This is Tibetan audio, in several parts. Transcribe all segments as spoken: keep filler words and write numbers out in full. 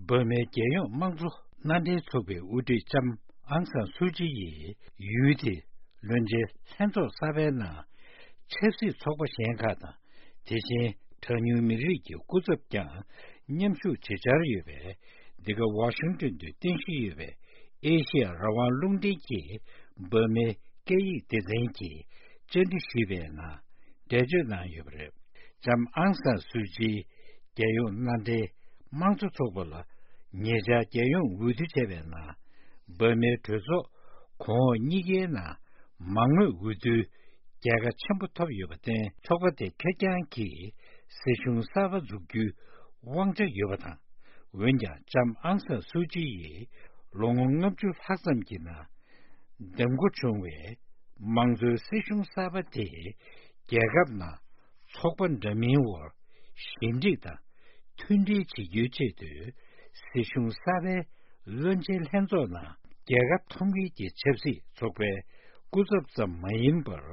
བོད་མིའི་རྒྱལ་ཡོངས་དམངས་གཙོ་མནའ་འབྲེལ་ཚོགས་པའི་དབུ་ཁྲིད་ལྕམ་ཨང་སང་སུའུ་ཅི་ཡིས་ཡུལ་དེའི་བློན་ཆེན་ལྷན་ཚོགས་གསར་པའི་ནང་ཆབ་སྲིད་ཚོགས་པ་གཞན་ཁག་དང་། དེ་བཞིན་གྲངས་ཉུང་མི་རིགས་ཀྱི་སྐུ་ཚབ་ཀྱང་མཉམ་ཞུགས་བྱེད་འཆར་ཡོད་པས། འདི་ག་ཝ་ཤིང་ཏོན་དུ་རྟེན་གཞི་ཡོད་པའི་ཨེ་ཤི་ཡ་རང་དབང་རླུང་འཕྲིན་གྱིས་བོད་མིའི་སྐད་ཡིག་སྡེ་ཚན་གྱིས་བཅར་འདྲི་ཞུས་པའི་ནང་འགྲེལ་བརྗོད་གནང་ཡོད་པ་རེད། ལྕམ་ཨང་སང་སུའུ་ཅིས་རྒྱལ་ཡོངས་མནའ་འབྲེལ་དམངས་གཙོ་ཚོགས་པ་ལ་ཉེ་ཆར་རྒྱལ་ཡོངས་འོས་བསྡུ་བྱས་པའི་ནང་། བོད་མིའི་གྲོས་ཚོགས་གོང་འོག་གཉིས་ཀའི་ནང་མང་མོས་འོས་བསྡུའི་རྒྱལ་ཁ་ཆེན་པོ་ཐོབ་ཡོད་པར་བརྟེན། ཚོགས་པ་དེ་ཁེར་རྐྱང་གིས་སྲིད་གཞུང་གསར་པ་འཛུགས་རྒྱུའི་དབང་ཆ་ཡོད་པ་དང་། འོན་ཀྱང་ལྕམ་ཨང་སང་སུའུ་ཅི་ཡིས་ལོ་ངོ་ལྔ་བཅུ་ལྷག་ཙམ་གྱི་ནང་འདེམས་བསྐོ་བྱུང་བའི་མང་གཙོའི་སྲིད་གཞུང་གསར་པ་དེས་རྒྱལ་ཁབ་ནང་ཚོགས་པ་འདྲ་མིན་དབར་ཞི་འགྲིག་དང་མཐུན་སྒྲིལ་བྱེད་རྒྱུའི་ཆེད་དུ། སྲིད་གཞུང་གསར་པའི་བློན་ཆེན་ལྷན་ཚོགས་ནང་རྒྱལ་ཁབ་མཐོང་གཉིས་ཀྱི་ཆབ་སྲིད་ཚོགས་པའི་སྐུ་ཚབ་ཙམ་མ་ཡིན་པར།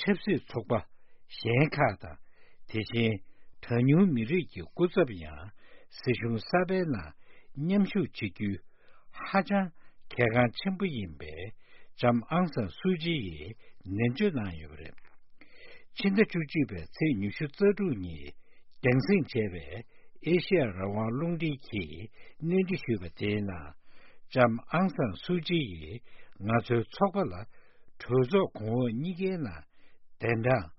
ཆབ་སྲིད་ཚོགས་པ་གཞན་ཁག་དང་། དེ་བཞིན་གྲངས་ཉུང་མི་རིགས་ཀྱི་སྐུ་ཚབ་ཡང་སྲིད་གཞུང་གསར་པའི་ནང་མཉམ་ཞུགས་བྱེད་རྒྱུ་ཧ་ཅང་གལ་འགངས་ཆེན་པོ་ཡིན་པས། ལྕམ་ཨང་སང་སུའུ་ཅི་ཡིས་ནན་བརྗོད་གནང་ཡོད་པ་རེད། ཕྱི་ཟླ་བཅུ་གཅིག་པའི་ཚེས་ཉི་ཤུ་རྩ་དྲུག་ཉིན་རྒྱང་སྲིང་བྱས་པའི་ཨེ་ཤེ་ཡ་རང་དབང་རླུང་འཕྲིན་གྱིས་སྣེ་ཁྲིད་ཞུས་པ་དེའི་ནང་། ལྕམ་ཨང་སང་སུའུ་ཅི་ཡིས་ང་ཚོའི་ཚོགས་པ་ལ་གྲོས་ཚོགས་གོང་འོག་གཉིས་ཀའི་ནང་གདན་གྲངས་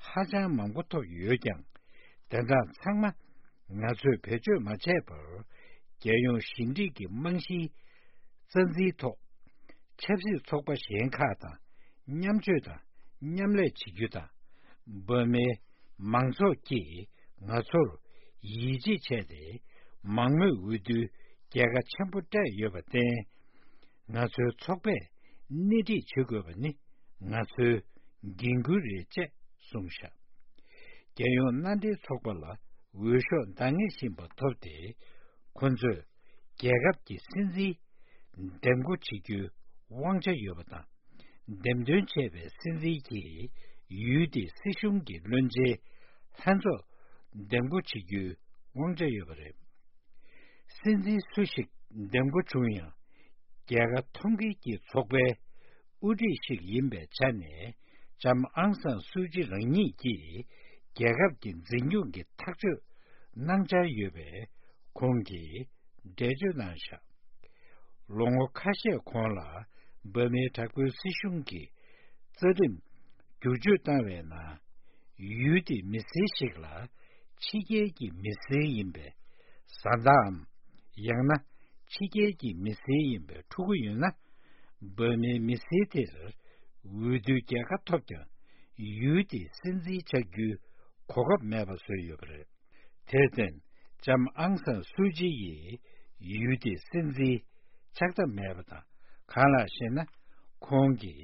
ཧ་ཅང་མང་པོ་ཐོབ་ཡོད་ཀྱང་། གདན་གྲངས་ཚང་མ་ང་ཚོས་བེད་སྤྱོད་མ་བྱས་པར། རྒྱལ་ཡོངས་ཞི་འགྲིག་གི་རྨང་གཞིའི་རྩ་འཛིན་ཐོག་ཆབ་སྲིད་ཚོགས་པ་གཞན་ཁག་དང་མཉམ་སྤྱོད་དང་མཉམ་ལས་བྱེད་རྒྱུ་དང་། བོད་མིའི་མང་ཚོགས་ཀྱིས་ང་ཚོར་ཡིད་ཆེས་བྱས་ཏེ། མང་མོས་འོས་བསྡུའི་རྒྱལ་ཁ་ཆེན་པོ་སྤྲད་ཡོད་པར་བརྟེན། ང་ཚོའི་ཚོགས་པས་སྣེ་ཁྲིད་བྱེད་དགོས་པ་ནི་ང་ཚོའི་འགན་ཁུར་རེད་ཅེས་གསུངས་བཞག་རྒྱལ་ཡོངས་མནའ་འབྲེལ་ཚོགས་པ་ལ་འོས་ཤོག་འདང་ངེས་བཞིན་པ་ཐོབ་སྟེ། ཁོ་ཚོས་རྒྱལ་ཁབ་ཀྱི་སྲིད་འཛིན་འདེམས་བསྐོ་བྱེད་རྒྱུའི་དབང་ཆ་ཡོད་པ་དང་། འདེམས་ཐོན་བྱས་པའི་སྲིད་འཛིན་གྱིས་ཡུལ་དེའི་སྲིད་གཞུང་གི་བློན་ཆེན་ལྷན་ཚོགས་འདེམས་བསྐོ་བྱེད་རྒྱུའི་དབང་ཆ་ཡོད་པ་རེད། སྲིད་འཛིན་སུ་ཞིག་འདེམས་བསྐོ་བྱུང་ཡང་། རྒྱལ་ཁ་མཐོང་གཉིས་ཀྱི་ཚོགས་པའི་དབུ་ཁྲིད་ཞིག་ཡིན་པའི་ཆ་ནས། ལྕམ་ཨང་སང་སུའུ་ཅི་རང་ཉིད་ཀྱིས་རྒྱལ་ཁབ་ཀྱི་འཛིན་སྐྱོང་གི་ཐག་གཅོད་གནང་འཆར་ཡོད་པའི་ཁོང་གིས་འགྲེལ་བརྗོད་གནང་བཞག་ལོ་ངོ་ཁ་ཤས་གོང་ལ་འབར་མའི་དྲག་པོའི་སྲིད་གཞུང་གིས་རྩ་ཁྲིམས་བསྒྱུར་བཅོས་བཏང་བའི་ནང་། ཡུལ་དེའི་མི་སེར་ཞིག་ལ་ཕྱི་རྒྱལ་གྱི་མི་སེར་ཡིན་པའི་བཟའ་ཟླའམ། ཡང་ན་ཕྱི་རྒྱལ་གྱི་མི་སེར་ཡིན་པའི་ཕྲུ་གུ་ཡོད་ན། འབར་མའི་མི་སེར་དེར་འོས་བསྡུའི་རྒྱལ་ཁ་ཐོབ་ཀྱང་། ཡུལ་དེའི་སྲིད་འཛིན་ཆགས་རྒྱུའི་གོ་སྐབས་མེད་པ་བཟོས་ཡོད་པ་རེད། དེར་བརྟེན། ལྕམ་ཨང་སང་སུའུ་ཅི་ཡིས་ཡུལ་དེའི་སྲིད་འཛིན་ཆགས་ཐབས་མེད་པ་དང་། གང་ལགས་ཤེ་ན། ཁོང་གི་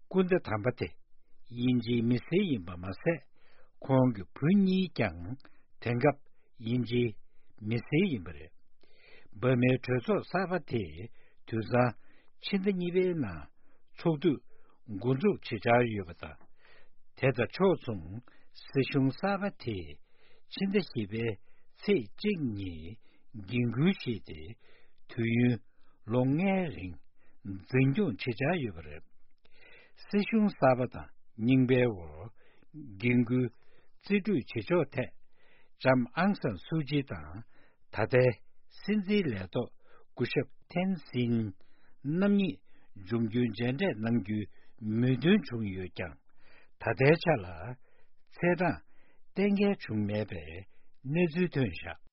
སྐུ་ཟླ་དམ་པ་དེ་དབྱིན་ཇིའི་མི་སེར་ཡིན་པ་མ་ཟད། ཁོང་གི་བུ་གཉིས་ཀྱང་དེང་སྐབས་དབྱིན་ཇིའི་མི་སེར་ཡིན་པ་རེད། འབར་མའི་གྲོས་ཚོགས་གསར་པ་དེ་དུས་སང་ཕྱི་ཟླ་གཉིས་པའི་ནང་ཚོགས་དུས་འགོ་འཛུགས་བྱེད་འཆར་ཡོད་པ་དང་། དེ་དང་ཕྱོགས་མཚུངས་སྲིད་གཞུང་གསར་པ་དེས་ཕྱི་ཟླ་བཞི་པའི་ཚེས་གཅིག་ཉིན་འགན་འཁུར་བཞེས་ཏེ། དུས་ཡུན་ལོ་ལྔའི་རིང་འཛིན་སྐྱོང་བྱེད་འཆར་ཡོད་པ་རེད། སྲིད་གཞུང་གསར་པ་དང་རྙིང་པའི་འོག་འགན་འཁུར་རྩིས་སྤྲོད་བྱེད་ཕྱོགས་ཐད། ལྕམ་ཨང་སང་སུའུ་ཅི་དང་ད་ལྟའི་སྲིད་འཛིན་ལས་ཐོག་སྐུ་ཞབས་ཐེན་སིན་རྣམ་གཉིས་འབྱུང་འགྱུར་མཇལ་འཕྲད་གནང་རྒྱུའི་མོས་མཐུན་བྱུང་ཡོད་ཀྱང་། ད་ལྟའི་ཆ་ལ་ཚེས་གྲངས་གཏན་འཁེལ་བྱུང་མེད་པའི་གནས་ཚུལ་ཐོན་བཞག